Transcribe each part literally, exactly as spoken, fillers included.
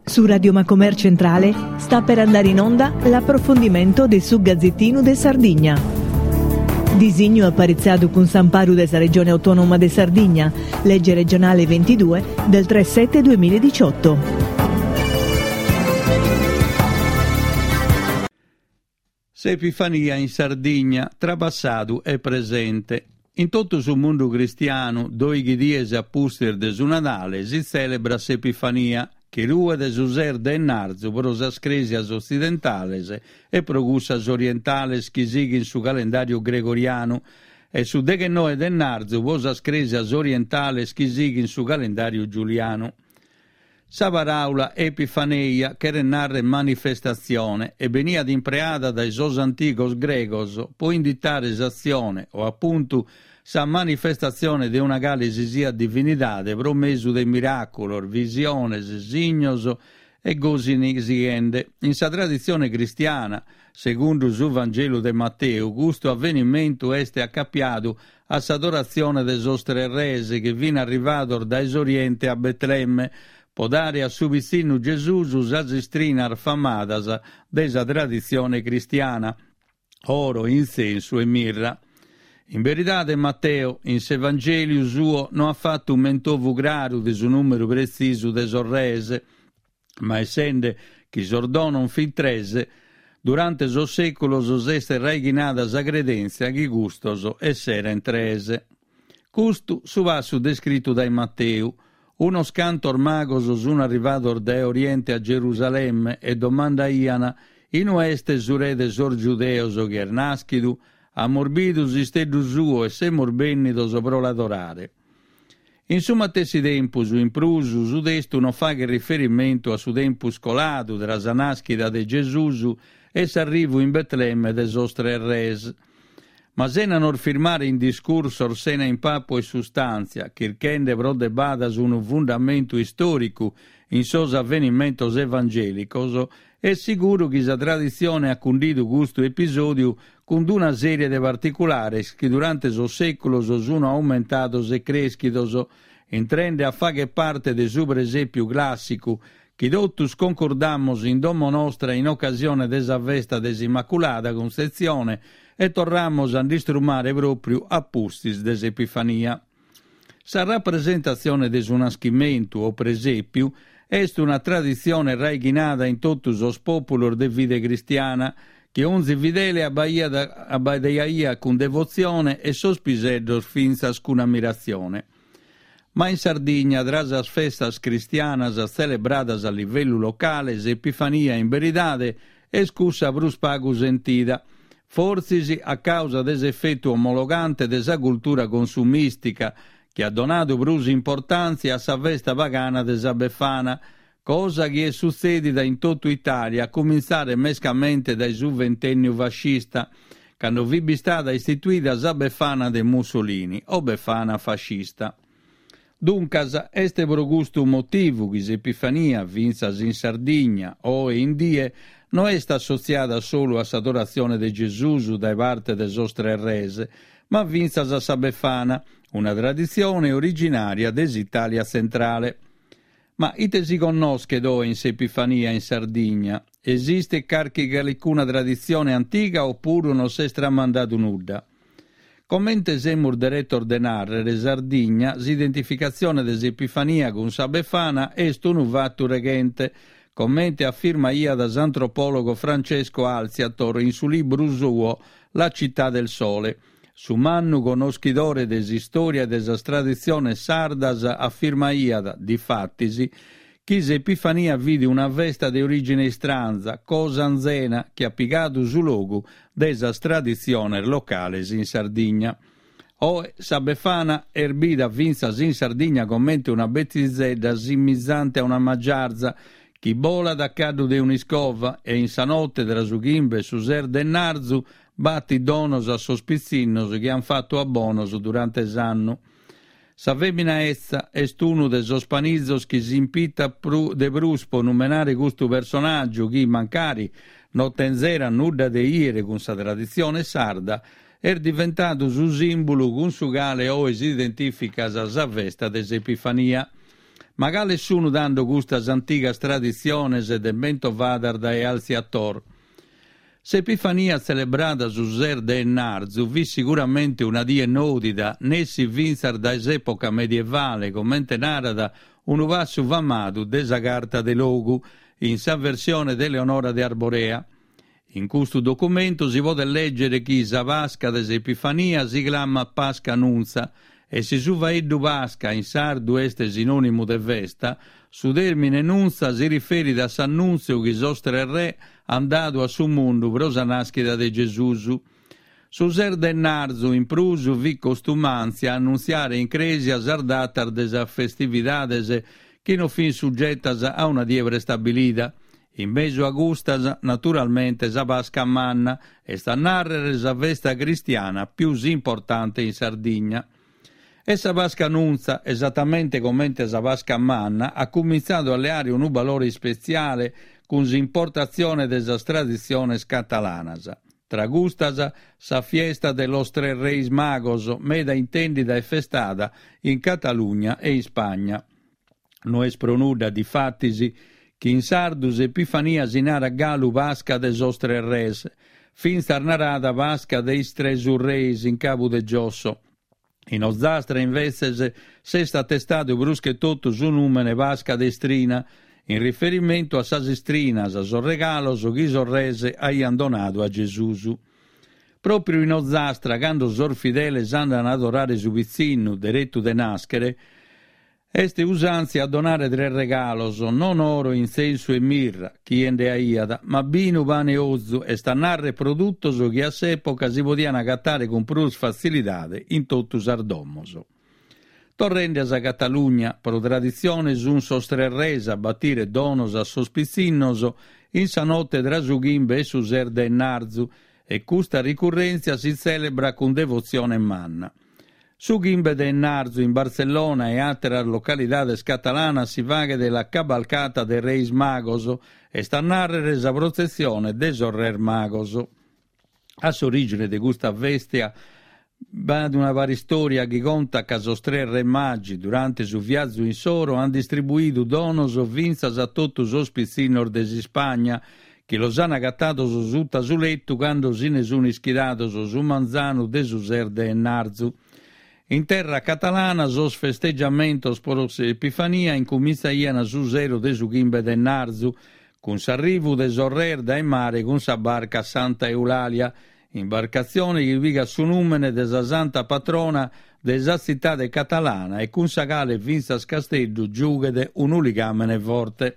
Su Radio Macomer Centrale sta per andare in onda l'approfondimento de su Gazzettinu de Sardigna. Disignu aparitzadu cun s'amparu de sa Regione Autonoma de Sardigna, legge regionale ventidue del tre sette duemiladiciotto. S'Epifania in Sardigna, tra passadu e presente. In totu su mundu cristianu, doighi dies a pustis de su Nadale, si tzèlebrat s'Epifania, chi ruet su ses de ennarzu pro sas crèsias otzidentales e pro cussas orientales chi sighint su calendàriu gregorianu e su deghennoe de ennarzu pro sas crèsias orientales chi sighint su calendàriu giulianu. Sa paràula epifaneia cheret nàrrere manifestatzione e beniat impreada dae sos antigos gregos pro inditare s'atzione o apuntu sa manifestatzione de una cale si siat divinidade pro mesu de miràculos, visiones, signos e gosi sighende. In sa traditzione cristiana, segundu su Vangelu de Mateu, custu avenimentu est acapiadu a s'adoratzione de sos tres res chi fin arrivados dae s'Oriente a Betlemme pro dare a su pitzinnu Gesùs sas istrinas famadas de sa traditzione cristiana, oro, intzensu e mirra. In beridade Mateu, in s'Evangèliu suo, no at fatu mentovu craru de su nùmeru pretzisu de sos res, ma essende chi sos donos fin tres, durante sos sèculos s'est raighinada sa credèntzia chi custos esserent tres. Custu su passu descritu dae Mateu. Unos cantos magos sun arrivados dae Oriente a Gerusalemme e domandaian inue est su re de sos giudeos chi est nàschidu? Amus bidu s'isteddu suo e semus bènnidos pro l'adorare. In su matessi tempus, in prus, su testu non faghet riferimentu a su tempus coladu tra sa nàschida de Gesùs e s'arrivu in Betlemme de sos tres res. Ma sena nos firmare in discursos sena impapu e sustàntzia, chirchende pro de badas unu fundamentu istòricu in sos avenimentos evangèlicos, est siguru chi sa traditzione at cundidu custu episòdiu cun una sèrie de particulares chi durante sos sèculos sun aumentados e crèschidos, intrende a fagher parte de su presèpiu clàssicu chi totus concordamus in domo nostra in ocasione de sa festa de s'Immaculada Cuntzetzione e torramus a nd'istrumare pròpriu a pustis de s'Epifania. Sa rapresentatzione de su naschimentu o presèpiu est una traditzione raighinada in totu sos pòpulos de fide cristiana, chi onzi fidele abbaiaiat cun devotzione e sos piseddos fintzas cun ammiratzione. Ma in Sardigna, tra sas festas cristianas tzelebradas a livellu locale, s'Epifania in beridade est cussa prus pagu sentida, fortzis a causa de s'efetu omologante de sa cultura consumìstica, chi at donadu prus importàntzia a sa festa pagana de sa Befana, cosa chi est sutzèdida in totu Itàlia, a cumintzare mescamente dae su ventènniu fascista, cando fit bistada istituida sa Befana de Mussolini, o Befana fascista. Duncas, est pro custu motivu chi s'Epifania, fintzas in Sardigna, oe in die, no est assotziada solu a s'adoratzione de Gesùs dae parte de sos tres res, ma fintzas a sa Befana, una traditzione originària de s'Itàlia tzentrale. Ma ite si connoschet oe in s'Epifania in Sardigna? Esistet carchi calicuna traditzione antiga opuru non s'est tramandadu nudda? Comente semus deretos de nàrrere, Sardigna, s'identificatzione de s'Epifania cun sa Befana est unu fatu reghente, comente afirmaiat s'antropòlogo Francesco Alziator in su libru suo La città del sole. Su mannu connoschidore de s'istòria e de sas traditziones sardas afirmaiat, difatis, chi s'Epifania fit una festa de orìgine istranza, cosa anzena, chi at pigadu su logu de sas traditziones locales in Sardigna. Oe sa Befana est bida fintzas in Sardigna comente una betzizedda simizante a una magiarza chi bolat a caddu de un'iscova e in sa note tra su chimbe e su ses de ennarzu batit donos a sos pitzinnos chi an fatu a bonos durante s'annu. Sa fèmina etza est unu de sos panizos chi s'impitat de prus pro numenare custu personàgiu chi, mancari no tenzerat nudda de ìere cun sa traditzione sarda, est diventadu su sìmbulu cun su cale oe s'identìficat sa festa de s'Epifania. Ma cales sunu tando custas antigas traditziones mentovadas dae Alziator? S'Epifania tzelebrada su ses de 'ennarzu fit siguramente una die nòdida, nessi fintzas dae s'època medievale, comente narat unu passu famadu de sa Carta de Logu, in sa versione de Eleonora de Arborea. In custu documentu si podet lègere chi sa Pasca de s'Epifania si clamat Pasca Nuntza e si su faeddu Pasca in sardu est sinònimu de festa, su tèrmine Nuntza si riferit a s'annùntziu chi sos tres re ant dadu a su mundu pro sa nàschida de Gesùs. Su ses de 'ennarzu, in prus, fit costumàntzia annuntziare in crèsia sas datas de sas festividades chi non fint sugetas a una die prestabilida. In mesu a custas, naturalmente, sa Pasca Manna, est a nàrrere sa festa cristiana pius importante in Sardigna. E sa Pasca Nuntza, esatamente comente sa Pasca Manna, at cumintzadu a leare unu balore ispetziale cun s'importatzione de sas traditziones catalanas. Tra custas, sa Fiesta de los Tres Reis Magos, meda intèndida e festada in Catalugna e Ispagna. No est pro nudda, difatis, chi in sardu s'Epifania si narat galu Pasca de sos Tres Res, fintzas narada Pasca de is Tres Urreis in Cabu de Giosso. In Ozastra, imbetzes, s'est atestadu prus che totu su nùmene Pasca de Istrina, in riferimentu a sas istrinas, sos regalos chi sos res aiant donadu a Gesùs. Pròpriu in Ozastra, cando sos fideles andant a adorare su pitzinnu, deretu de nàschere, est usàntzia a donare tres regalos, non oro, intzensu e mirra, chie nde aiat, ma binu, pane e ozu, est a nàrrere produtos chi a s'època si podiant agatare cun prus fatzilidade in totu sas domos. Torrende a sa Catalugna, pro traditzione sunt sos tres res a batire donos a sos pitzinnos in sa note tra su chimbe e su ses de 'ennarzu e custa ricurrèntzia si tzèlebrat cun devotzione manna. Su chimbe de 'ennarzu in Bartzellona e àteras localidades catalanas si faghet la Cabalcata de Reis Magos, est a nàrrere sa protzessione de sos Res Magos. A s'orìgine de custa festa b'at una paristòria chi contat ca sos tres Re Magi, durante su viazu insoro, ant distribuidu donos fintzas a totu sos pitzinnos de s'Ispagna, chi los ant agatados suta su letu cando si ne sunt ischidados su manzanu de su ses de 'ennarzu. In terra catalana sos festeggiamentos pro s'Epifania incumintzaiant su sero de su chimbe de 'ennarzu, cun s'arrivu de sos res dae mare cun sa barca Santa Eulàlia, imbarcatzione chi pigat su nùmene de sa santa patrona de sa tzitade catalana e cun sa cale fintzas Casteddu giughet unu ligàmene forte.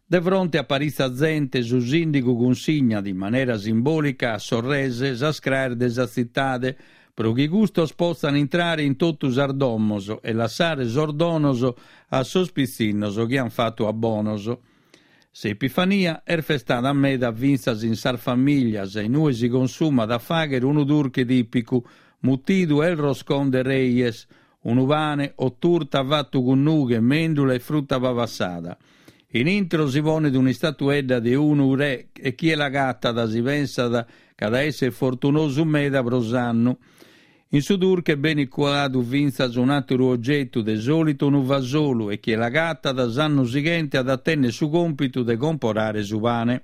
De fronte a paritza zente, su sìndigu cunsignat in manera simbòlica a sos res sas craes de sa tzitade, pro chi custos potzan intrare in totu sas domos e lassare sos donos a sos pitzinnos chi an fatu a bonos. S'Epifania est festada meda fintzas in sas famìlias, in ue si consumat a fàghere unu durche tìpicu, mutidu El Roscón de Reyes, unu pane o turta fatu cun nughe, mèndula e fruta pabassada. In intro si ponet un'istatuedda de unu re e chie l'agatat si pensat ch'at a èssere fortunosu meda pro s'annu. In su durche benit cuadu fintzas un'àteru ogetu, de sòlitu unu fasolu, e chie l'agatat s'annu sighente at a tènnere su còmpitu de comporare su pane.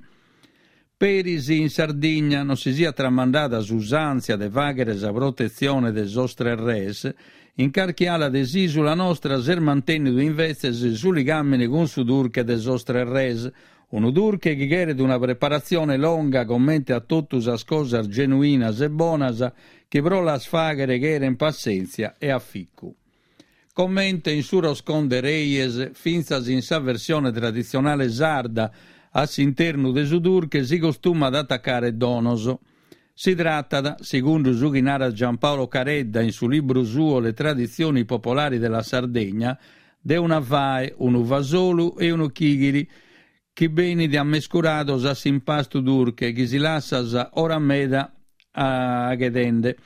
Peri si in Sardigna non si siat tramandada s'usàntzia de fàghere sa protetzione de sos tres res, in carchi ala de s'ìsula nostra s'est mantènnidu imbetzes su ligàmene cun su durche de sos tres res, unu durche chi cheret una preparatzione longa comente a totu sas cosas genuinas e bonas chi pro las fàghere cherent passèntzia e aficu. Comente in su Roscón de Reyes, fintzas in sa versione traditzionale sarda, a s'internu de su durche si costumat atacare donos. Si tratat, segundu su chi narat Giampaolo Caredda in su libru suo Le tradizioni popolari della Sardegna, de una fae, unu fasolu e unu chighiri, chi benint ammescurados a s'impastu durche chi si lassat ora meda aghedende.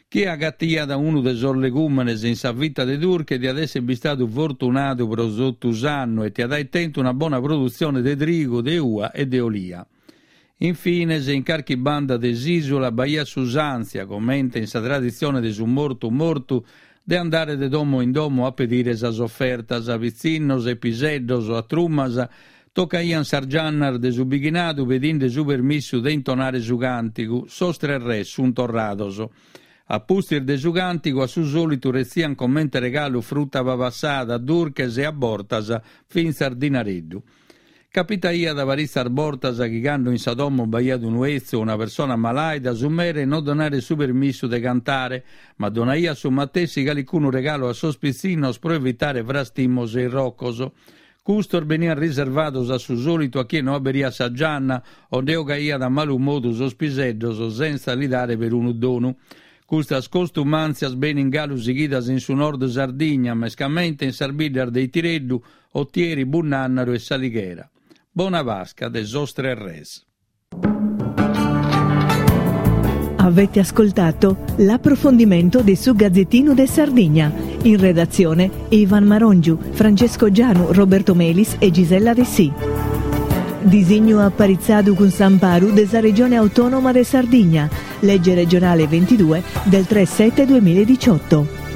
Chie agatiat unu de sos legùmenes in sa fita de durche diat èssere bistadu fortunadu pro totu s'annu e tiat aer tentu una bona produtzione de trigu, de ua e de olia. Infines, in carchi banda de s'ìsula b'aiat s'usàntzia, comente in sa traditzione de su mortu mortu, de andare de domo in domo a pedire sas ofertas. Pitzinnos e piseddos a trumas tocaiant sas giannas de su bighinadu pedinde su permissu de intonare su càntigu Sos tres res sunt torrados. A pustis de su càntigu a su sòlitu retziant comente regalu fruta pabassada, durches e a bortas fintzas dinareddu. Capitaiat paritzas bortas chi cando in sa domo b'aiat unu 'etzu o una persona malàida su mere non donaret su permissu de cantare, ma donaiat su matessi calicunu regalu a sos pitzinnos pro evitare frastimos e irrocos. Custos beniant riservados a su sòlitu a chie no aberiat sa gianna o nde 'ogaiat a malu modu sos piseddos sentza li dare perunu donu. Custas costumàntzias benint galu sighidas in su nord Sardigna, mescamente in sas biddas de Itireddu, Otieri, Bunnànnaru e S'Alighera. Bona Pasca de sos Tres Res. Avete ascoltato l'approfondimento di su Gazzettino de Sardigna. In redazione Ivan Marongiu, Francesco Gianu, Roberto Melis e Gisella Dessì. Disignu aparitzadu cun s'amparu de sa Regione Autonoma de Sardigna, legge regionale ventidue del tre sette duemiladiciotto.